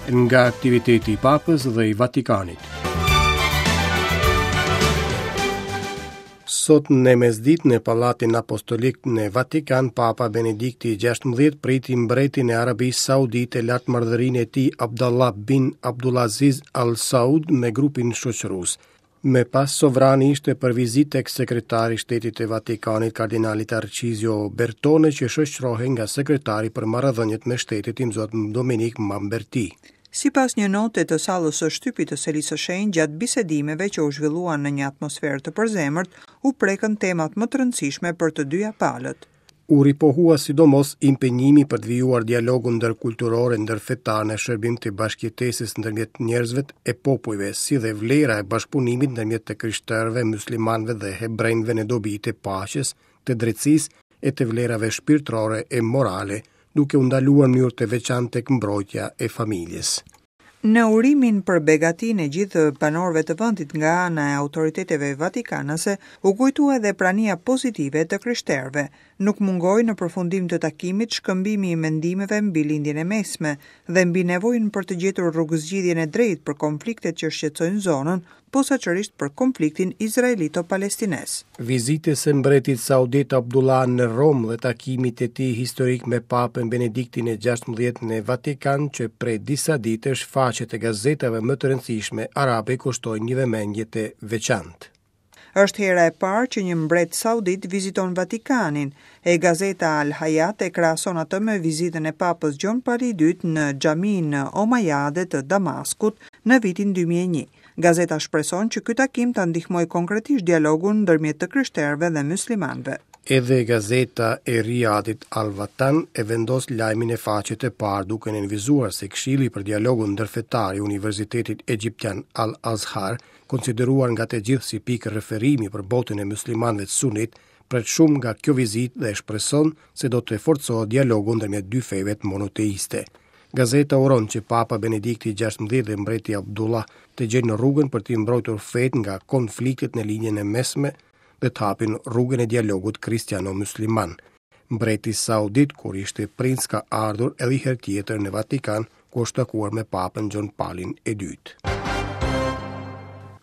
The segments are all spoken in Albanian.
Nga aktiviteti i Papës dhe i Vatikanit. Sot në mesditë në Pallatin Apostolik në Vatikan, Papa Benedikti XVI priti mbretin e Arabisë Saudite Lartmadhërinë e tij Abdallah bin Abdulaziz Al Saud me grupin shoqërues. Më pas sovrani ishte për vizitë tek sekretari i Shtetit të Vatikanit, kardinali Tarcizio Bertone, që shoqërohej nga sekretari për marrëdhëniet me shtetet imzot Dominik Mamberti. Sipas një note të sallës së shtypit të Selisë së Shenjtë, gjatë bisedimeve që u zhvilluan në një atmosferë të përzemërt, u prekën temat më të rëndësishme për të dyja palët. U ripohua sidomos impenjimi për të vijuar dialogun ndërkulturor e ndërfetar në shërbim të bashkëjetesës ndërmjet njerëzve e popujve, si dhe vlera e bashkëpunimit ndërmjet të krishterëve, myslimanëve dhe hebrenjve në dobi të paqes, të drejtësisë e të vlerave shpirtërore e morale, duke u ndaluar në mënyrë të veçantë tek mbrojtja e familjes. Në urimin për begatinë e gjithë banorëve të vendit nga ana e autoriteteve vatikanase, u kujtua edhe prania pozitive e të krishterëve. Nuk mungoi në përfundim të takimit shkëmbimi i mendimeve mbi Lindjen e Mesme dhe mbi nevojën për të gjetur rrugëzgjidhjen e drejtë për konfliktet që shqetësojnë zonën, posaçërisht për konfliktin izraelito-palestinez. Vizitës së mbretit saudit Abdullah në Romë dhe takimit të tij historik me Papën Benediktin e XVI në Vatikan që prej disa ditësh faqet e gazetave më të rëndësishme arabe i kushtojnë një vëmendje të veçantë. Është hera e parë që një mbret saudit viziton Vatikanin, e gazeta Al Hayat e krahason atë me vizitën e Papës Gjon Pali i Dytë në Xhaminë Omajade të Damaskut në vitin 2001. Gazeta shpreson që ky takim ta ndihmojë konkretisht dialogun ndërmjet të krishterëve dhe myslimanëve. Edhe gazeta e Riadit Al Watan e vendos lajmin në faqe të parë duke nënvizuar se Këshilli për Dialogun Ndërfetar i Universitetit Egjiptian Al Azhar konsideruar nga të gjithë si pikë referimi për botën e myslimanëve sunit, pret shumë nga kjo vizitë dhe shpreson se do të forcohet dialogu ndërmjet dy feve monoteiste. Gazeta uron që Papa Benedikti XVI dhe mbreti Abdullah të gjejnë rrugën për t'i mbrojtur fetë nga konfliktet në Lindjen e Mesme dhe të hapin rrugën e dialogut kristiano-mysliman. Mbreti saudit kur ishte princ ka ardhur edhe një herë tjetër në Vatikan, ku është takuar me Papën Gjon Palin e Dytë.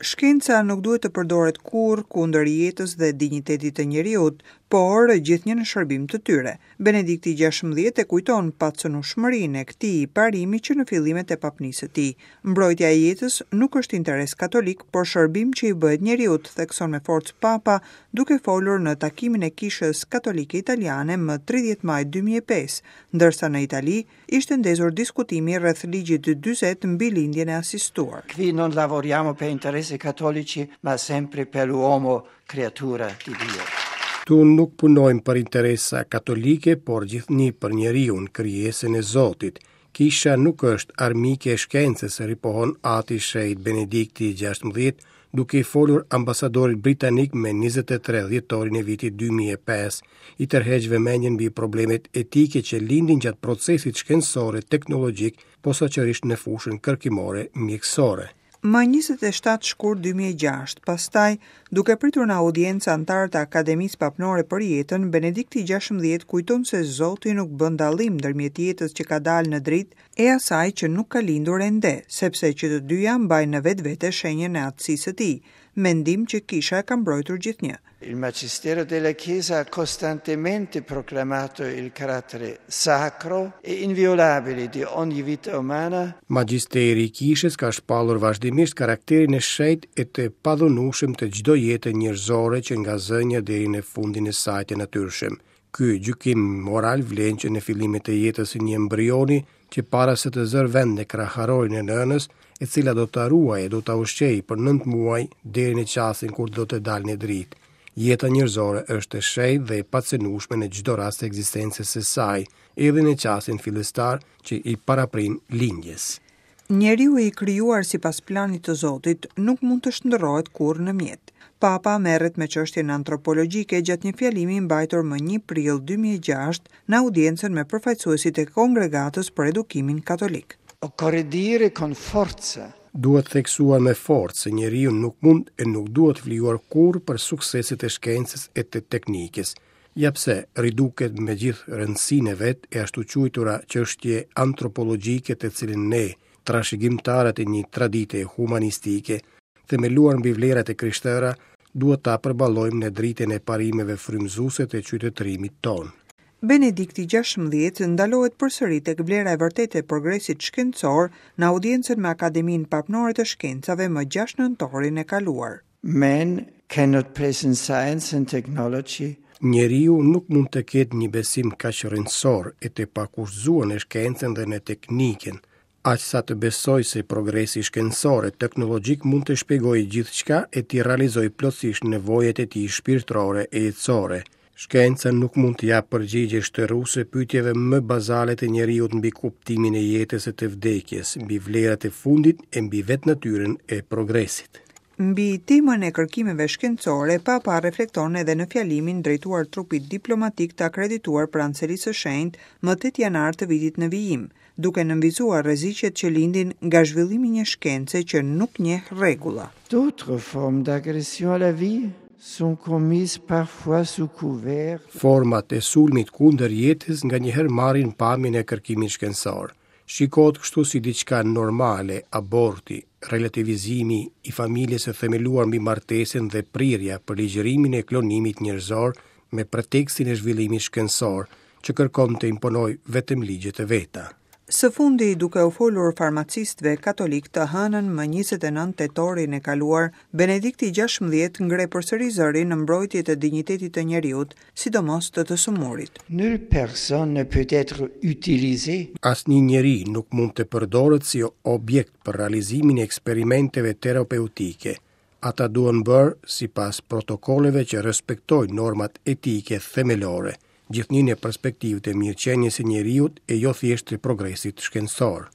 Shkenca nuk duhet të përdoret kurrë kundër jetës dhe dinjitetit të njeriut, por gjithnjë në shërbim të tyre. Benedikti XVI e kujton pacënueshmërinë e këtij parimi që në fillimet e papnisë së tij. Mbrojtja e jetës nuk është interes katolik, por shërbim që i bëhet njeriut, thekson me forcë Papa, duke folur në takimin e Kishës Katolike Italiane më 30 maj 2005, ndërsa në Itali ishte ndezur diskutimi rreth ligjit 40 mbi lindjen e asistuar. Qui non lavoriamo per interessi cattolici, ma sempre per l'uomo creatura di Dio. Këtu nuk punojmë për interesa katolike, por gjithnjë për njeriun, krijesën e Zotit. Kisha nuk është armike e shkencës, ripohon Ati i Shenjtë Benedikti XVI, duke i folur ambasadorit britanik me 23 dhjetorin e vitit 2005, i tërheq vëmendjen mbi problemet etike që lindin gjatë procesit shkencor e teknologjik, posaçërisht në fushën kërkimore mjekësore. Më 27 shkurt 2006, pastaj, duke pritur në audiencë anëtarë të Akademisë Papnore për Jetën, Benedikti XVI kujton se Zoti nuk bën dallim ndërmjet jetës që ka dalë në dritë e asaj që nuk ka lindur ende, sepse që të dyja mbajnë në vetvete shenjën e atësisë së tij, mendim që Kisha e ka mbrojtur gjithnjë. Il Magistero della Chiesa ha costantemente proclamato il carattere sacro e inviolabile di ogni vita umana. Magjisteri i Kishës ka shpallur vazhdimisht karakterin e shenjtë e të padhunueshëm të çdo jete njerëzore që nga zënia deri në fundin e saj të natyrshëm. Ky gjykim moral vlen që në fillimet e jetës së një embrioni që para se të zërë vend në kraharorin e nënës, e cila do ta ruajë e do ta ushqejë për 9 muaj deri në çastin kur do të dalë në dritë. Jeta njerëzore është e shenjtë dhe e pacenueshme në çdo rast të ekzistencës së saj, edhe në çastin fillestar që i paraprin lindjes. Njeriu i krijuar sipas planit të Zotit nuk mund të shndërrohet kurrë në mjet. Papa merret me çështjen antropologjike gjatë një fjalimi mbajtur më 1 prill 2006 në audiencën me përfaqësuesit e Kongregatës për Edukimin Katolik. Occorre dire con forza Duhet theksuar me forcë se njeriu nuk mund e nuk duhet flijuar kurrë për sukseset e shkencës e të teknikës. Ja pse riduket me gjithë rëndësinë e vet e ashtuquajtura çështje antropologjike të cilën ne, trashëgimtarët e një tradite humanistike, themeluar mbi vlerat e krishtera, duhet ta përballojmë në dritën e parimeve frymëzuese të qytetërimit tonë. Benedikti XVI ndalohet përsëri tek vlera e vërtetë e progresit shkencor në audiencën me Akademinë Papnore të Shkencave më 6 nëntorin e kaluar. Man cannot place in science and technology Njeriu nuk mund të ketë një besim kaq rrënjësor e të pakushtëzuar në shkencën dhe në teknikën, aq sa të besojë se progresi shkencor e teknologjik mund të shpjegojë gjithçka e t'i realizojë plotësisht nevojat e tij shpirtërore e jetësore. Shkenca nuk mund të japë përgjigje shteruese pyetjeve më bazale të njeriut mbi kuptimin e jetës e të vdekjes, mbi vlerat e fundit e mbi vetë natyrën e progresit. Mbi temën e kërkimeve shkencore, Papa reflekton edhe në fjalimin drejtuar trupit diplomatik të akredituar pranë Selisë së Shenjtë më 8 janar të vitit në vijim, duke nënvizuar rreziqet që lindin nga zhvillimi i një shkence që nuk njeh rregulla. D'autres formes d'agression à la vie sont commises parfois sous couvert. Format e sulmit kundër jetës nganjëherë marrin pamjen e kërkimit shkencor. Shikohet kështu si diçka normale aborti, relativizimi i familjes së themeluar mbi martesën dhe prirja për ligjërimin e klonimit njerëzor me pretekstin e zhvillimit shkencor, që kërkon të imponojë vetëm ligjet e veta. Së fundi, duke u folur farmacistëve katolikë të hënën më 29 tetorin e kaluar, Benedikti XVI ngre përsëri zërin në mbrojtje të dinjitetit të njeriut, sidomos të të sëmurit. Nulle personne ne peut être utilisée. Asnjë njeri nuk mund të përdoret si objekt për realizimin e eksperimenteve terapeutike. Ata duhen bërë sipas protokolleve që respektojnë normat etike themelore, gjithnjë në perspektivë të mirëqenies së njeriut e jo thjesht të progresit shkencor.